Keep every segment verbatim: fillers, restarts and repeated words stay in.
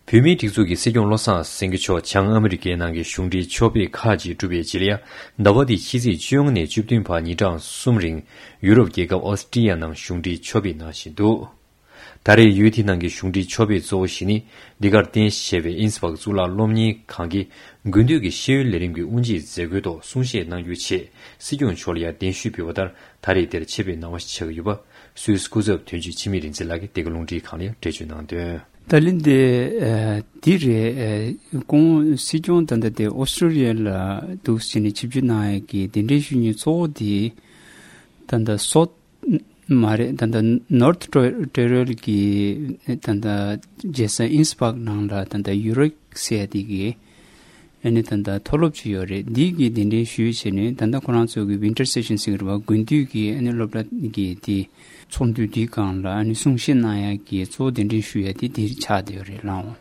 བོད་མིའི་སྒྲིག་འཛུགས་ཀྱི་སྲིད་སྐྱོང་བློ་བཟང་སེང་གེ་མཆོག་བྱང་ཨ་མི་རི་ཀའི་ནང་གི་གཞུང་འབྲེལ་ཕྱོགས་ཕེབས་ཁག་ཅིག་གྲུབ་པའི་རྗེས་ལ། ཟླ་བ་འདིའི་ཕྱི་ཚེས་བཅོ་ལྔ་ནས་བཅུ་བདུན་བར་ཉིན་གྲངས་གསུམ་རིང་ཡུ་རོབ་རྒྱལ་ཁབ་ཨོ་སི་ཀྲི་ཡ་ནང་གཞུང་འབྲེལ་ཕྱོགས་ཕེབས་གནང་བཞིན་འདུག་ད་རེས་ཡུལ་དེ་ནང་གི་གཞུང་འབྲེལ་ཕྱོགས་ཕེབས་གཙོ་བོ་ཞིག་ནི། འདི་གར་རྟེན་གཞི་བྱས་པའི་ཨིན་སྦག་གཙུག་ལག་སློབ་གཉེར་ཁང་གི་དགུན་དུས་ཀྱི་ཤེས་ཡོན་ལས་རིམ་གྱི་དབུ་འབྱེད་མཛད་སྒོའི་ཐོག་གསུང་བཤད་གནང་རྒྱུའི་ཆེད་སྲིད་སྐྱོང་མཆོག་ལ་ཡང་གདན་ཞུས་ཕུལ་བ་ལྟར། ད་རེས་འདིར་ཆེད་ཕེབས་གནང་བ་ཞིག་ཆགས་ཀྱི་ཡོད་པ། སུད་སི་སྐུ་ཚབ་དོན་གཅོད་འཆི་མེད་རིག་འཛིན་ལགས་ཀྱིས་འདི་ག་རླུང་འཕྲིན་ཁང་ལ་ཡང་འགྲེལ་བརྗོད་གནང་དོན། ད་ལན་དེ། ཨ། འདི་རེད། ཨ། ཁོང་སྲིད་སྐྱོང་ད་ལྟ་དེ་ཨོ་སི་ཀྲི་ཡ་ལ་འདུག་ཟེར་ནས་ཆིབས་བསྒྱུར་གནང་ཡག་གི་གདན་འདྲེན་ཞུ་མཁན་གཙོ་བོ་དེ་ད་ལྟ་སོ། མ་རེད། ད་ལྟ་ནོར་ཐི་ཊོ་ཊོ་རེལ་གྱི་ད་ལྟ་རྒྱལ་ས་ཨིན་སྦག་ནང་ལ་ད་ལྟ་ཡུ་རེག་ཟེར་ཡ་དེ་གི་ཨ་ནི་ད་ལྟ་མཐོ་སློབ་ཅིག་ཡོད་རེད། འདི་གི་གདན་འདྲེན་ཞུས་བྱས་ནས། ད་ལྟ་ཁོ་རང་ཚོ་གི་ཝིན་ཊར་སེ་ཤན་ཟེར་གི་རེད་པ། དགུན་དུས་ཀྱི་ཨ་ནི་སློབ་གྲྭ་གི་དེ་ཚོགས་འདུ་འདིའི་སྒང་ལ་ཨ་ནི་གསུང་བཤད་གནང་ཡག་གི་གཙོ་བོ་གདན་འདྲེན་ཞུ་ཡ་དེ་འདིར་ཆགས་བསྡད་ཡོད་རེད་ལགས།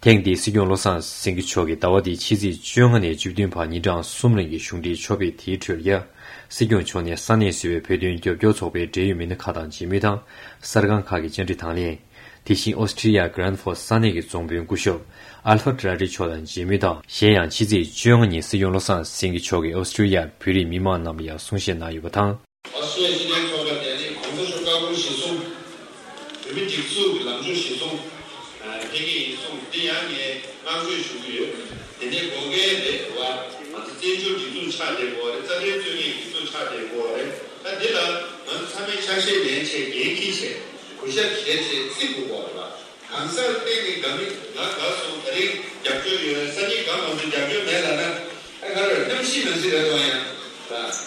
ཐེངས་འདིའི་སྲིད་སྐྱོང་བློ་བཟང་སེང་གེ་མཆོག་གིས་ཟླ་བ་འདིའི་ཕྱི་ཚེས་བཅོ་ལྔ་ནས་བཅུ་བདུན་བར་ཉིན་གྲངས་གསུམ་རིང་གི་གཞུང་འབྲེལ་ཕྱོགས་ཕེབས་དེའི་ཁྲོད་ལ། སྲིད་སྐྱོང་མཆོག་ནས་ས་གནས་སུ་ཡོད་པའི་བོད་དོན་རྒྱབ་སྐྱོར་ཚོགས་པའི་འབྲེལ་ཡོད་མི་སྣ་ཁག་དང་མཇལ་མོལ་དང་། གསར་ཁང་ཁག་གི་བཅར་འདྲི་དང་ལེན། དེ་བཞིན་ཨོ་སི་ཀྲི་ཡ་གྷི་རན་ཧྥོར་ས་གནས་ཀྱི་རྫོང་དཔོན་སྐུ་ཞབས་ཨལ་ཧྥ་ཏྲ་རི་མཆོག་དང་མཇལ་མོལ་དང་། གཞན་ཡང་ཕྱི་ཚེས་བཅོ་ལྔ་ཉིན་སྲིད་སྐྱོང་བློ་བཟང་སེང་གེ་མཆོག་གིས་ཨོ་སི་ཀྲི་ཡ་བོད་རིགས་མི་མང་རྣམས་ལ་ཡང་གསུང་བཤད་གནང་ཡོད་པ་དང་། ཨོ་སི་ཀྲི་ཡ་སྤྱི་མཐུན་ཚོགས་པ་ནས་ནི་གོང་ས་མཆོག་བཀའ་འཁུར་གཞིར་བཟུང་། བོད་མི་སྒྲིག་འཛུགས་ཀྱི་ལམ་ཕྱོགས་གཞིར་བཟུང་། ཕེབས་ཀྱི་ཡིན་གསུངས། འདི་ཡང་ངས་བསྔགས་བརྗོད་ཞུ་གི་ཡོད། དེ་ནས་དགོས་གལ་རེད་བ། ང་ཚོ་བཙན་བྱོལ་སྒྲིག་འཛུགས་ཆགས་བསྡད་དགོས་རེད། རྩ་དོན་རྩོད་མཁན་སྒྲིག་འཛུགས་ཆགས་བསྡད་དགོས་རེད། ད་འདི་ལ་ང་ཚོ་ཚང་མས་ཆ་ཤས་ལེན་བྱས། འགན་འཁྱེར་བྱས། གུས་ཞབས་བྱས་བྱས་བརྩི་དགོས་པ་རེད་བ། གང་ཟག་གཏན་ནས་དགའ་མི་དགའ་དགའ་སོང་། ད་རིང་རྒྱབ་སྐྱོར་ཡོད། སང་ཉིན་དགའ་མ་སོང་རྒྱབ་སྐྱོར་མེད་ལབ་ན། ཨ་ག་རེ་གནམ་གཤིས་ནང་བཞིན་རེད་དོ་ཡང་། རྩ་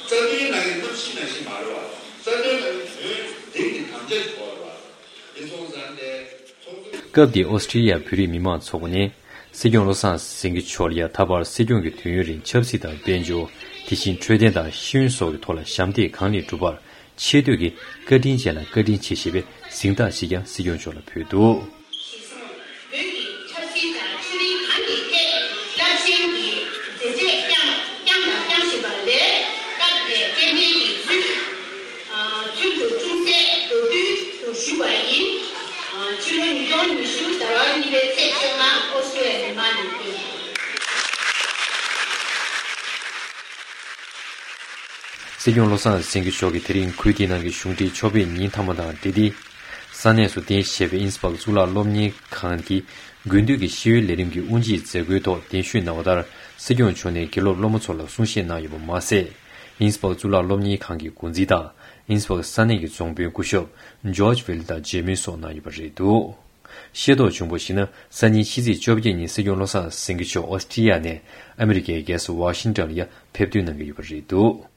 དོན་ནང་གི་གནམ་གཤིས་ནང་བཞིན་མ་རེད་བ། རྩ་དོན་ནང་གི་དོན་འགྲིག་གི་དམ་བཅའ་ཞིག་དགོས་རེད་བ། འདི་སོང་ཙང་དེ་ཚོགས་འདུ། སྐབས་དེའི་ཨོ་སི་ཀྲི་ཡ་བོད་རིགས་མི་མང་ཚོགས་པ་ནས་སྲིད་སྐྱོང་བློ་བཟང་སེང་གེ་མཆོག་ལ་ཡང་ད་བར་སྲིད་སྐྱོང་གི་དུས་ཡུན་རིང་ཆབ་སྲིད་དང་དཔལ་འབྱོར། དེ་བཞིན་འཕྲོད་བསྟེན་དང་ཤེས་ཡོན་སོགས་ཀྱི་ཐོག་ལ་ཞབས་འདེགས་གང་ལེགས་བསྒྲུབས་པར་ཆེ་བསྟོད་ཀྱི་བཀའ་དྲིན་ཅན་ལ་བཀའ་དྲིན་ཆེ་ཞེས་པའི་གཟེངས་རྟགས་ཤིག་ཀྱང་སྲིད་སྐྱོང་མཆོག་ལ་ཕུལ་འདུག། བོད་ཀྱི་ཆབ་སྲིད་དང་ཆོས་རིག་གང་གི་ཐད་རླབས་ཆེན་གྱི་མཛད་རྗེས་བསྐྱངས་བསྐྱངས་དང་བསྐྱང་བཞིན་པ་ལས། སྐབས་དེར་སྐྱེ་ཕྲེང་གི་ཚུལ་ཚུལ་དུ་ཅུང་ཟད་མདོར་བསྡུས་སུ་ཞུས་པ་ཡིན། ཕྱི་ལོ་ཉིས་སྟོང་ཉི་ཤུ་ཟླ་བ་གཉིས་པའི་ཚེས་བཅོ་ལྔ་ཨོ་སི་ཀྲི་ཡ་ལི་མ་ནས་ཕེབས། སྲིད་སྐྱོང་བློ་བཟང་སེང་གེ་མཆོག་གིས་དེ་རིང་ཁུལ་དེའི་ནང་གི་གཞུང་འབྲེལ་ཕྱོགས་ཕེབས་ཉིན་མཐའ་མ་དང་འབྲེལ་ཏེ། ས་གནས་སུ་རྟེན་གཞི་བྱས་པའི་ཨིན་སྦག་གཙུག་ལག་སློབ་གཉེར་ཁང་གི་དགུན་དུས་ཀྱི་ཤེས་ཡོན་ལས་རིམ་གྱི་དབུ་འབྱེད་མཛད་སྒོའི་ཐོག་གདན་ཞུས་གནང་བ་ལྟར། སྲིད་སྐྱོང་མཆོག་ནས་དགེ་སློབ་སློབ་མ་ཚོ་ལ་གསུང་བཤད་གནང་ཡོད་པ་མ་ཟད། ཨིན་སྦག་གཙུག་ལག་སློབ་གཉེར་ཁང་གི་འགོ་འཛིན་དང་། ཨིན་སྦག་ས་གནས་ཀྱི་རྫོང་དཔོན་སྐུ་ཞབས་ཇོརྗ་ཝེལ་དང་མཇལ་མོལ་སོགས་གནང་ཡོད་པ་རེད་འདུག། ཤེས་རྟོགས་བྱུང་བར་གཞིགས་ན། སང་ཉིན་ཕྱི་ཚེས་བཅོ་བརྒྱད་ཉིན་སྲིད་སྐྱོང་བློ་བཟང་སེང་གེ་མཆོག་ཨོ་སི་ཀྲི་ཡ་ནས་ཨ་མི་རི་ཀའི་རྒྱལ་ས་ཝ་ཤིང་ཏོན་ལ་ཡང་ཕེབས་ཐོན་གནང་གི་ཡོད་པ་རེད་འདུག།